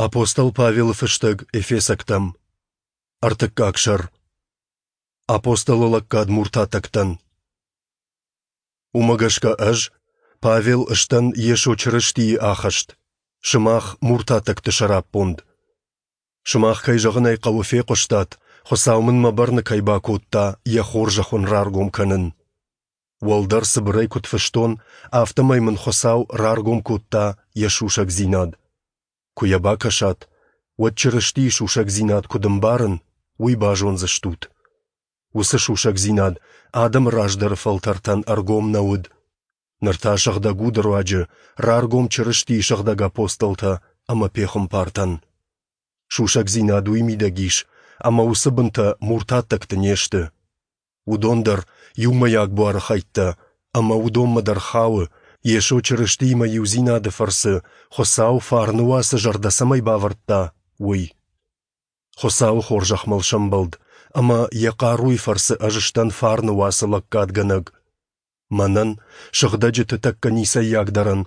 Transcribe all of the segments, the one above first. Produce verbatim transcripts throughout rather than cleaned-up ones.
Апостол Павелы фыстӕг Эфесӕгтӕм. Ӕртыккаг сӕр. Апостолы лӕггад муртатӕгтӕн. Уымӕ гӕсгӕ ӕз, Павел, сдӕн Йесо Чырыстийы ахӕст, сымах, муртатӕгты сӕраппонд. Сымах, кӕй зӕгъын ӕй хъӕуы, фехъуыстат, Хуыцау мын мӕ бӕрны кӕй бакодта йӕ хорзӕх уын раргом кӕнын. Уӕлдӕр цыбырӕй куыд фыстон, афтӕмӕй мын Хуыцау раргом кодта йӕ сусӕгдзинад. Куы йӕ бакӕсат, уӕд Чырыстийы сусӕгдзинад куыд ӕмбарын, уый базондзыстут. Уыцы сусӕгдзинад адӕмы раздӕры фӕлтӕртӕн ӕргом нӕ уыд. Ныр та Сыгъдӕг Уды руаджы раргом Чырыстийы сыгъдӕг апостолтӕ ӕмӕ пехуымпартӕн. Сусӕгдзинад уый мидӕг ис, ӕмӕ уыцы бынтӕ муртаттӕгты не сты. Уыдон дӕр иумӕйаг буары хӕйттӕ, ӕмӕ уыдонмӕ дӕр хауы, Йесо Чырыстиимӕ иудзинады фӕрцы Хуыцау фарны уацы зӕрдӕ цӕмӕй бавӕрдта, уый. Хуыцауы хорзӕх мыл сӕмбӕлд, ӕмӕ йӕ хъаруйы фӕрцы ӕз сдӕн фарны уацы лӕггадгӕнӕг. Мӕнӕн, сыгъдӕджыты тӕккӕ ницӕййагдӕрӕн,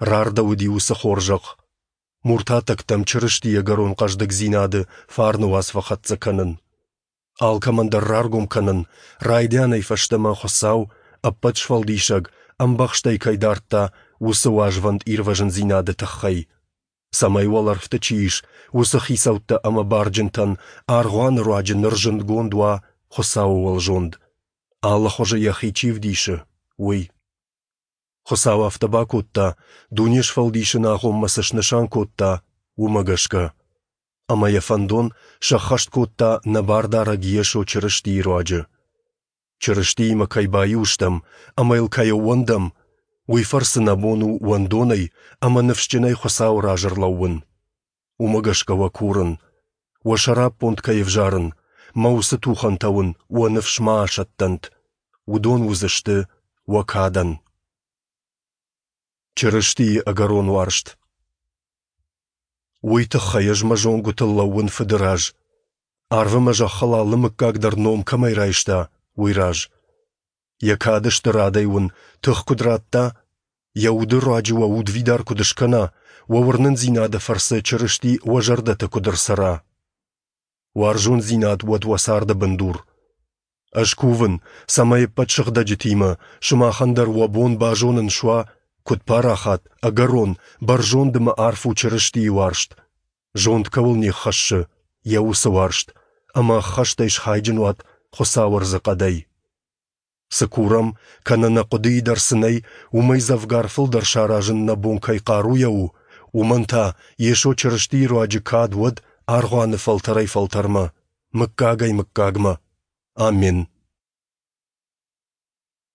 рардӕуыди уыцы хорзӕх. Муртатӕгтӕм Чырыстийы ӕгӕрон хъӕздыгдзинады фарны уац фӕхӕццӕ кӕнын. Алкӕмӕн дӕр раргом кӕнын, райдианӕй фӕстӕмӕ Хуыцау, ӕппӕт сфӕлдисӕг, ӕмбӕхстӕй кӕй дардта, уыцы уӕзвӕнд ирвӕзындзинады тыххӕй. Цӕмӕй уӕлӕрвты чи ис, уыцы хицӕуттӕ ӕмӕ барджынтӕн аргъуаны руаджы ныр зындгонд уа Хуыцауы уӕлзонд, алы хуызы йӕхи чи вдисы, уый. Хуыцау афтӕ бакодта, дуне сфӕлдисыны агъоммӕ цы снысан кодта, уымӕ гӕсгӕ. Ӕмӕ йӕ фӕндон сӕххӕст кодта нӕ Бардарӕг Йесо Чырыстийы руаджы. Чырыстиимӕ кӕй баиу стӕм ӕмӕ йыл кӕй ӕууӕндӕм, уый фӕрцы нӕ бон у уӕндонӕй ӕмӕ ныфсджынӕй Хуыцауы раз ӕрлӕууын. Уымӕ гӕсгӕ уӕ курын, уӕ сӕраппонд кӕй ӕвзарын, мӕ уыцы тухӕнтӕ уын уӕ ныфс ма асӕттӕнт, уыдон уыдзысты уӕ кадӕн. Чырыстийы ӕгӕрон уарзт. Уый тыххӕй ӕз мӕ зонгуытыл лӕууын Фыды раз, арв ӕмӕ зӕххыл алы мыггаг дӕр ном кӕмӕй райста, уый раз. Йӕ кады стырадӕй уын тых куыд радта, йӕ уды руаджы уӕ удвидар куыд скӕна, уӕ уырнындзинады фӕрцы Чырысти уӕ зӕрдӕты куыд ӕрцӕра. Уарзондзинад уӕд уӕ царды бындур. Ӕз кувын, цӕмӕй ӕппӕт сыгъдӕджытимӕ сымахӕн дӕр уӕ бон базонын суа, куыд парахат, ӕгӕрон, бӕрзонд ӕмӕ арф у Чырыстийы уарзт, зонд кӕуыл не ххӕссы, йӕ уыцы уарзт, ӕмӕ ӕххӕстӕй схайджын уат Хуыцауы ӕрдзыхъӕдӕй. Цы курӕм, кӕнӕ нӕ хъуыдыйы дӕр цы нӕй, уымӕй дзӕвгар фылдӕр саразын нӕ бон кӕй хъаруйӕ у, уымӕн та Йесо Чырыстийы руаджы кад уӕд аргъуаны фӕлтӕрӕй-фӕлтӕрмӕ, мыггагӕй-мыггагмӕ. Аммен.